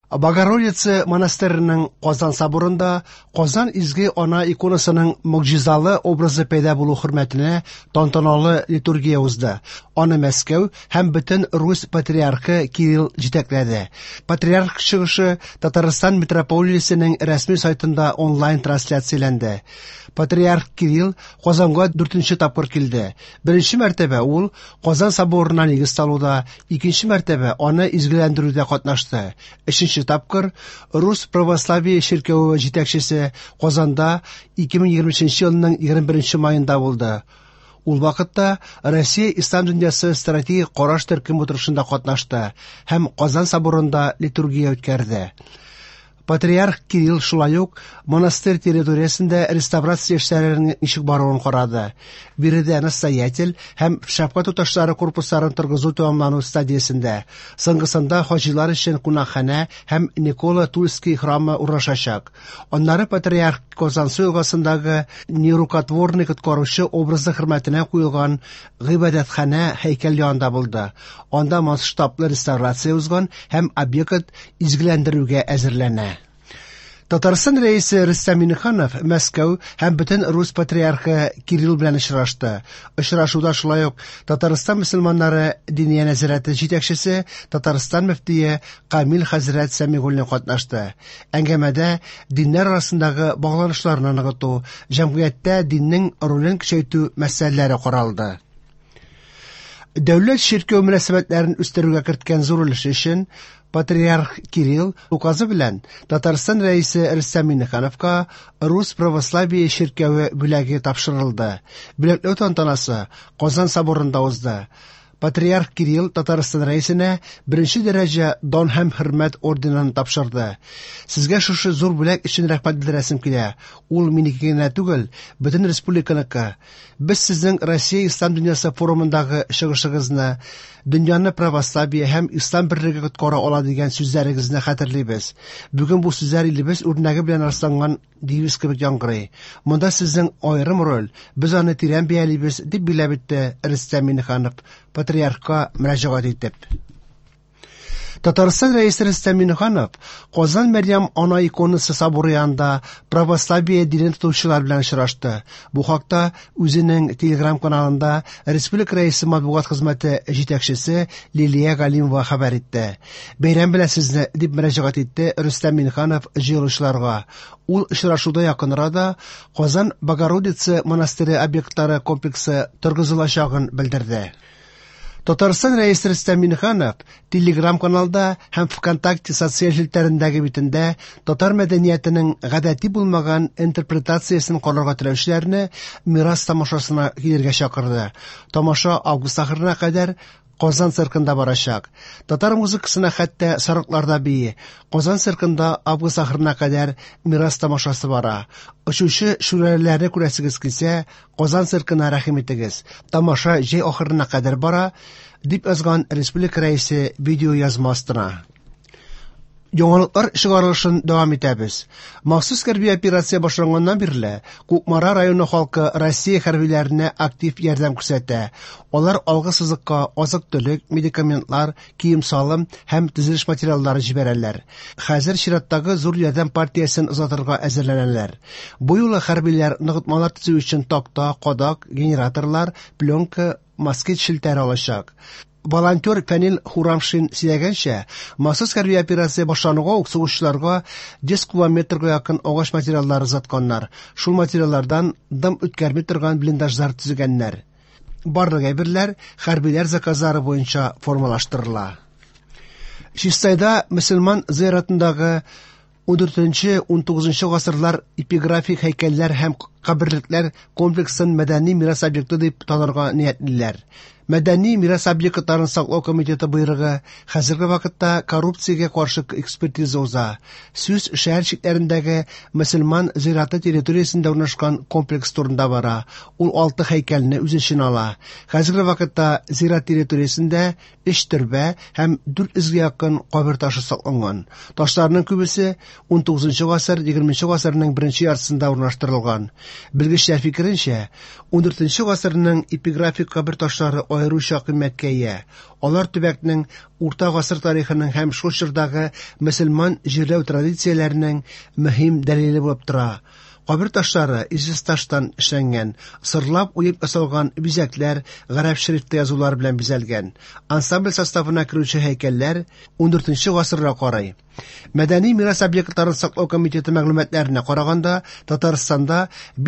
Богородица монастыреның Казан соборында Казан Изге Ана иконасының могҗизалы образы пәйда булу хөрмәтенә тантаналы литургия узды. Аны Мәскәү һәм бөтен Русь патриархы Кирилл җитәкләде. Патриарх чыгышы Татарстан митрополиясенең рәсми сайтында онлайн трансляцияләнде. Патриарх Кирилл Казанга дүртенче тапкыр килде. Беренче мәртәбә ул Казан соборына нигез салуда, икенче мәртәбә аны изгеләндерүдә катнашты. Өченче тапкыр Рус православие чиркәве җитәкчесе Казанда 2023 елның 21 маенда булды. Ул вакытта Россия Ислам дөньясы стратегик караш төркем утырышында катнашты һәм Казан соборында литургия үткәрде. Патриарх Кирилл шулай ук монастырь территориясендә реставрация эшләренең ничек баруын карады. Биредә настоятель һәм шәфкать туташлары корпусларын торгызу тәмамлану стадиясендә. Соңгысында хаҗилар өчен кунакханә һәм Никола Тульский храмы урнашачак. Аннары патриарх Казансу елгасындагы нерукотворный коткаручы образы хөрмәтенә куелган гыйбадәтханә һәйкәл янында булды. Анда масштаблы реставрация узган һәм объект изгеләндерүгә әзерләнә. Татарстан рәисе Рөстәм Миңнеханов Мәскәү һәм бөтен Рус патриархы Кирилл белән очрашты. Очрашуда шулай ук Татарстан мөселманнары Диния нәзарәте җитәкчесе, Татарстан мөфтие Камил хәзрәт Сәмигуллин катнашты. Әңгәмәдә диннәр арасындагы багланышларны ныгыту, җәмгыятьтә диннең ролен көчәйтү мәсьәләләре каралды. Дәүләт чиркәү мөнәсәбәтләрен үстерүгә керткән зур өлеше өчен Патриарх Кирилл указы белән Татарстан рәисе Рөстәм Миңнехановка Рус православие чиркәве бүләге тапшырылды. Бүләкләү тантанасы Казан соборында узды. Патриарх Кирилл Татарстан рәисенә беренче дәрәҗә Дан һәм хөрмәт орденын тапшырды. Сезгә шушы зур бүләк өчен рәхмәт белдерәсем килә. Ул минеке генә түгел, бөтен республиканыкы. Без сезнең Россия Ислам дөньясы форумындагы чыгышыгызны, дөньяны православие һәм ислам берлеге коткара ала дигән сүзләрегезне хәтерлибез. Бүген бу сүзләр илебез үрнәге белән расланган девиз кебек яңгырый. Монда сезнең аерым роль, без аны тирән бәялибез, дип билгеләп үтте Рөстәм Миңнеханов, патриархка мөрәҗәгать итеп. Татарстан Рәисе Рөстәм Миңнеханов Казан Мәрьям Ана иконасы соборы янында православие динен тотучылар белән очрашты. Бу хакта үзенең Телеграм-каналында республика Рәисе матбугат хезмәте җитәкчесе Лилия Галимова хәбәр итте. Бәйрәм белән сезне, дип мөрәҗәгать итте Рөстәм Миңнеханов җыелучыларга. Ул очрашуда якын арада Казан Богородица монастыре объектлары комплексы торгызылачагын белдерде. Татарстан Рәисе Рөстәм Миңнеханов Телеграм-каналда һәм ВКонтакте социаль челтәрендәге битендә татар мәдәниятенең гадәти булмаган интерпретациясен карарга теләүчеләрне Мирас тамашасына килергә чакырды. Тамаша август ахырына кадәр Казан циркында барачак. Татар музыкасына хәтта сарыклар да бии. Казан циркында август ахырына кадәр Мирас тамашасы бара. Очучы шүрәлеләрне күрәсегез килсә, Казан циркына рәхим итегез. Тамаша җәй ахырына кадәр бара, дип язган республика Рәисе видеоязма астына. Яңалыклар чыгарылышын дәвам итәбез. Махсус хәрби операция башланганнан бирле Кукмара районы халкы Россия хәрбиләренә актив ярдәм күрсәтә. Алар алгы сызыкка азык-төлек, медикаментлар, кием-салым һәм төзелеш материаллары җибәрәләр. Хәзер чираттагы зур ярдәм партиясен озатырга әзерләнәләр. Бу юлы хәрбиләр ныгытмалар төзү өчен такта, кадак, генераторлар, пленка, москит челтәре алачак. Волонтер Фәнил Хурамшин сөйләгәнчә, махсус хәрби операция башлануга ук сугышчыларга 100 кубометрга якын агач материаллары озатканнар. Шул материаллардан дым үткәрми торган блиндажлар төзегәннәр. Барлык әйберләр хәрбиләр заказлары буенча формалаштырыла. Чистайда мөселман зыяратындагы 14-19 гасырлар эпиграфик һәйкәлләр һәм каберлекләр комплексын мәдәни мирас объекты дип танырга ниятлиләр. Мәдәни мирас объектларын саклау комитеты боерыгы хәзерге вакытта коррупциягә каршы экспертиза уза. Сүз шәһәр чикләрендәге мөселман зираты территориясендә урнашкан комплекс турында бара. Ул 6 һәйкәлне үз эченә ала. Хәзерге вакытта зират территориясендә 3 төрбә һәм 400 гә якын кабер ташы сакланган. Ташларның күбесе 19 гасыр, 20 гасырның беренче яртысында урнаштырылган. Белгечләр фикеренчә, 14 гасырның эпиграфик кабер ташлары аеруча кыйммәткә ия. Алар төбәкнең урта гасыр тарихының һәм шул чордагы мөселман җирләү традицияләренең мөһим дәлиле булып тора. Кабер ташлары известьташтан эшләнгән, сырлап уеп ясалган бизәкләр, гарәп шрифты язулар белән бизәлгән. Ансамбль составына керүче һәйкәлләр 14 гасырга карый. Мәдәни мирас объектларын саклау комитеты мәгълүматларына караганда, Татарстанда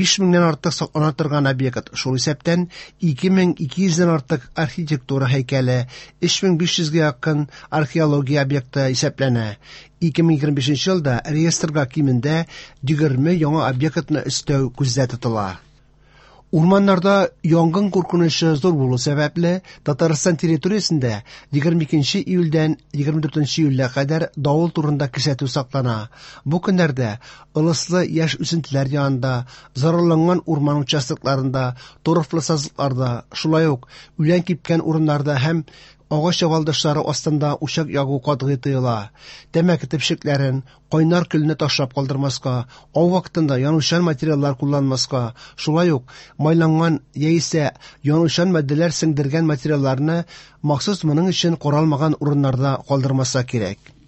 5000 нән артык саклана торган объект, шул исәптән 2200 дән артык архитектура һәйкәле, 3500 гә якын археология объекты исәпләнә. 2025 елда реестрга кимендә 20 яңа объектны өстәү күздә тотыла. Урманнарда янгын куркынычы зур булу сәбәпле, Татарстан территориясендә 22 июльдән 24 июльгә кадәр давыл турында кисәтү саклана. Бу көннәрдә ылыслы яшь үсентеләр янында, зарарланган урман участокларында, торфлы сазлыкларда, шулай ук үлән кипкән урыннарда һәм агач ябалдашлары астында учак ягу катгый тыела. Тәмәке төпчекләрен, кайнар көлне ташлап калдырмаска, ау вакытында янучан материаллар кулланмаска, шулай ук майланган яисә янучан матдәләр сеңдергән материалларны махсус моның өчен каралмаган урыннарда калдырмаска кирәк.